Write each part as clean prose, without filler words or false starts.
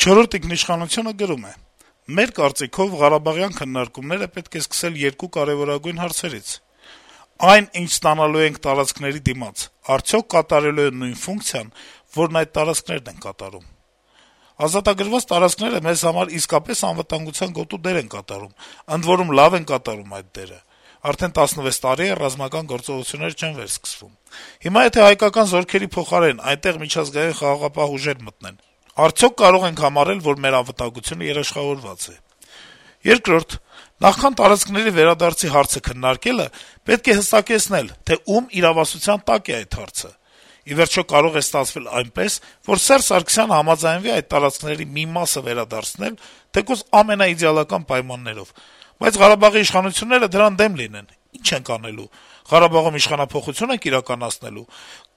«Չորրորդ ինքնիշխանություն»-ը գրում է. - «Մեր կարծիքով Ղարաբաղյան քննարկումները պետք է սկսել երկու կարեւորագույն հարցերից. այն, ինչ ստանալու ենք տարածքների դիմաց, արդյոք կատարելու է նույն ֆունկցիան, որն այդ տարածքներն են կատարում: Ազատագրված տարածքները մեզ համար իսկապես անվտանգության գոտու դեր են կատարում, ընդ որում լավ են կատարում այդ դերը: Արդեն 16 տարի է ռազմական գործողություններ չեն վերսկսվում: Հիմա եթե հայկական զորքերի փոխարեն այնտեղ միջազգային խաղաղապահ ուժեր մտնեն, արդյոք կարող ենք համարել, որ մեր անվտանգությունը երաշխավորված է: Երկրորդ, նախքան տարածքների վերադարձի հարցը քննարկելը, պետք է հստակեցնել, թե ում իրավասության տակ է այդ հարցը: Ի վերջո, կարող է ստացվել այնպես, որ Սերժ Սարգսյանը համաձայնվի այդ տարածքների մի մասը վերադարձնել, թեկուզ ամենաիդեալական պայմաններով, բայց Ղարաբաղի իշխանությունները դրան դեմ լինեն: Ի՞նչ ենք անելու: Ղարաբաղում իշխանափոխությո՞ւն ենք իրականացնելու: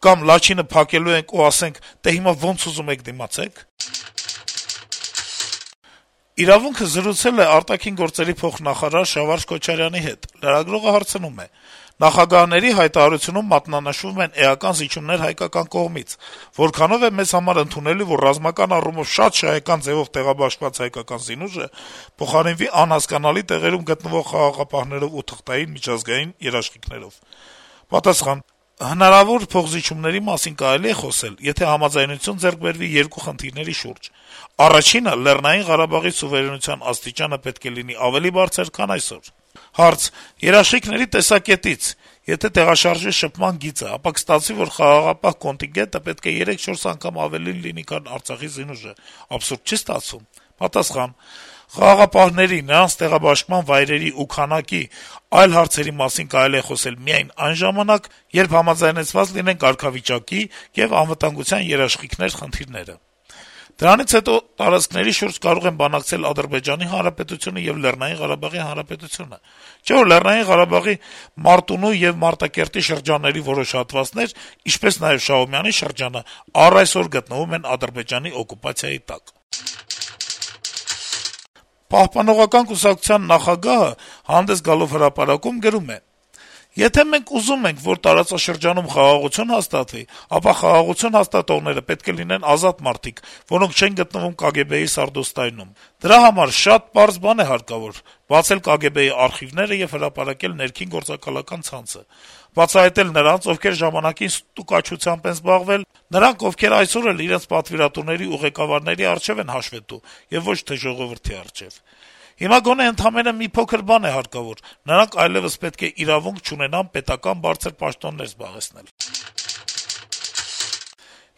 Կամ Լաչինը փակելու ենք ու ասենք՝ դե հիմա ոնց ուզում եք դիմացեք»: «Իրավունք»-ը զրուցել է ԱԳ փոխնախարար Շավարշ Քոչարյանի հետ: Լրագրողը հարցնում է. - «Նախագահների հայտարարությունում մատնանշվում են էական զիջումներ հայկական կողմից: Որքանո՞վ է մեզ համար ընդունելի, որ ռազմական առումով շատ շահեկան ձեւով տեղաբաշխված հայկական զինուժը փոխարինվի անհասկանալի տեղերում գտնվող խաղաղապահներով ու թղթային միջազգային երաշխիքներով»: Պատասխան. - «Հնարավոր փոխզիջումների մասին կարելի է խոսել, եթե համաձայնություն ձեռք բերվի երկու խնդիրների շուրջ: Առաջինը՝ Լեռնային Ղարաբաղի սուվերենության աստիճանը պետք է լինի ավելի բարձր, քան այսօր»: Հարց. - «Երաշխիքների տեսակետից, եթե տեղաշարժի շփման գիծը, ապա կստացվի, որ խաղաղապահ կոնտինգենտը պետք է 3-4 անգամ ավելին լինի, քան Արցախի զինուժը: Աբսուրդ չի՞ ստացվում»: Պատասխան. - «Խաղաղապահների, նրանց տեղաբաշխման վայրերի ու քանակի, այլ հարցերի մասին կարելի է խոսել միայն այն ժամանակ, երբ համաձայնեցված լինեն կարգավիճակի եւ անվտանգության երաշխիքներ խնդիրները: Դրանից հետո տարածքների շուրջ կարող են բանակցել Ադրբեջանի Հանրապետությունը եւ Լեռնային Ղարաբաղի Հանրապետությունը: Չէ՞ որ Լեռնային Ղարաբաղի Մարտունու եւ Մարտակերտի շրջանների որոշ հատվածներ, ինչպես նաեւ Շահումյանի շրջանը, առ այսօր գտնվում են Ադրբեջանի օկուպացիայի տակ»: Պահպանողական կուսակցության նախագահը հանդես գալով հրապարակում գրում է. - «Եթե մենք ուզում ենք, որ տարածաշրջանում խաղաղություն հաստատվի, ապա խաղաղություն հաստատողները պետք է լինեն ազատ մարդիկ, որոնք չեն գտնվում ԿԳԲ-ի սարդոստայնում: Դրա համար շատ պարզ բան է հարկավոր՝ բացել ԿԳԲ-ի արխիվները եւ հրապարակել ներքին գործակալական ցանցը, բացահայտել նրանց, ովքեր ժամանակին ստուկաչությամբ են զբաղվել, նրանք, ովքեր այսօր էլ իրենց պատվիրատուների ու ղեկավարների առջեւ են հաշվետու, եւ ոչ թե ժողովրդի առջեւ: Հիմա գոնե ընդամենը մի փոքր բան է հարկավոր՝ նրանք այլեւս պետք է իրավունք չունենան պետական բարձր պաշտոններ զբաղեցնել»: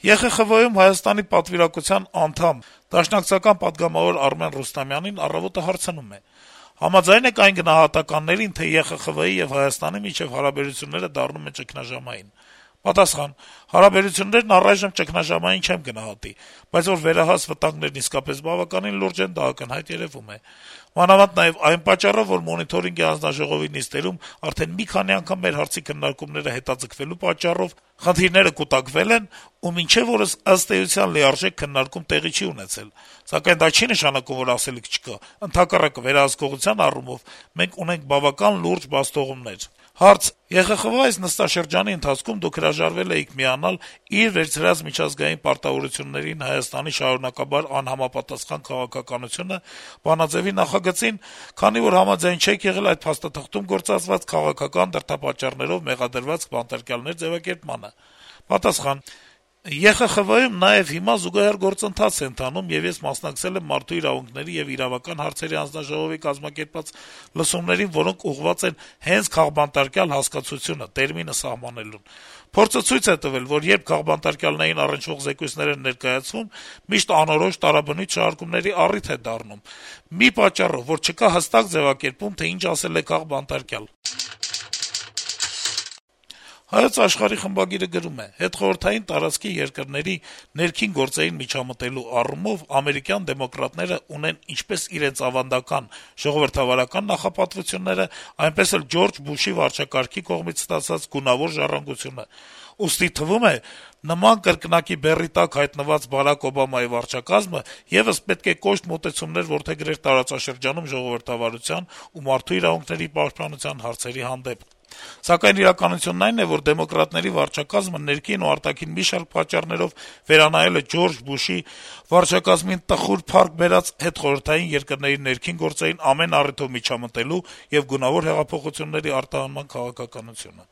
ԵԽԽՎ-ում Հայաստանի պատվիրակության անդամ, դաշնակցական պատգամավոր Արմեն Ռուստամյանին «Առավոտ»-ը հարցնում է. - «Համաձայն եք այն գնահատականներին, թե ԵԽԽՎ-ի եւ Հայաստանի միջեւ հարաբերությունները դառնում են ճգնաժամային»: Պատասխան. - «Հարաբերություններն առայժմ ճգնաժամային չեմ գնահատի, բայց որ վերահաս վտանգներն իսկապես բավականին լուրջ են, դա ակնհայտ երեւում է: Մանավանդ նաեւ այն պատճառով, որ Մոնիթորինգի հանձնաժողովի նիստերում արդեն մի քանի անգամ մեր հարցի քննարկումները հետաձգվելու պատճառով խնդիրները կուտակվել են, ու մինչեւ օրս, ըստ էության, լիարժեք քննարկում տեղի չի ունեցել: Սակայն դա չի նշանակում, որ ասելիք չկա: Ընդհակառակը, վերահսկողության առումով մենք ունենք բավական լուրջ բացթողումներ»: Հարց. - «ԵԽԽՎ այս նստաշրջանի ընթացքում դուք հրաժարվել էիք միանալ իր վերցրած միջազգային պարտավորություններին Հայաստանի շարունակաբար անհամապատասխան քաղաքականությունը բանաձեւի նախագծին, քանի որ համաձայն չեք եղել այդ փաստաթղթում գործածված քաղաքական դրդապատճառներով մեղադրված բանտարկյալներ ձեւակերպմանը»: Պատասխան. - «ԵԽԽՎ-ում նաեւ հիմա զուգահեռ գործընթաց է ընթանում, եւ ես մասնակցել եմ Մարդու իրավունքների եւ իրավական հարցերի հանձնաժողովի կազմակերպած լսումներին, որոնք ուղղված են հենց քաղբանտարկյալ հասկացությունը, տերմինը սահմանելուն: Փորձը ցույց է տվել, որ երբ քաղբանտարկյալներին առնչվող զեկույցներ են ներկայացվում, միշտ անորոշ տարաբնույթ շարժումների առիթ է դառնում, մի պատճառով, որ չկա հստակ ձեւակերպում, թե ինչ ասել է քաղբանտարկյալ»: «Հայոց Աշխարհ»-ի խմբագիրը գրում է. - «Հետխորհրդային տարածքի երկրների ներքին գործերին միջամտելու առումով ամերիկյան դեմոկրատները ունեն ինչպես իրենց ավանդական ժողովրդավարական նախապատվությունները, այնպես էլ Ջորջ Բուշի վարչակարգի կողմից ստացած գունավոր ժառանգությունը: Ուստի թվում է, նման կրկնակի բեռի տակ հայտնված Բարաք Օբամայի վարչակազմը եւս պետք է կոշտ մոտեցումներ որդեգրեր տարածաշրջանում ժողովրդավարության ու մարդու իրավունքների պաշտպանության հարցերի հանդեպ: Սակայն իրականությունն այն է, որ դեմոկրատների վարչակազմը ներքին ու արտաքին մի շարք պատճառներով վերանայել է Ջորջ Բուշի վարչակազմին տխուր փառք բերած հետխորհրդային երկրների ներքին գործերին ամեն առիթով միջամտելու եւ գունավոր հեղափոխությունների արտահանման քաղաքականությունը: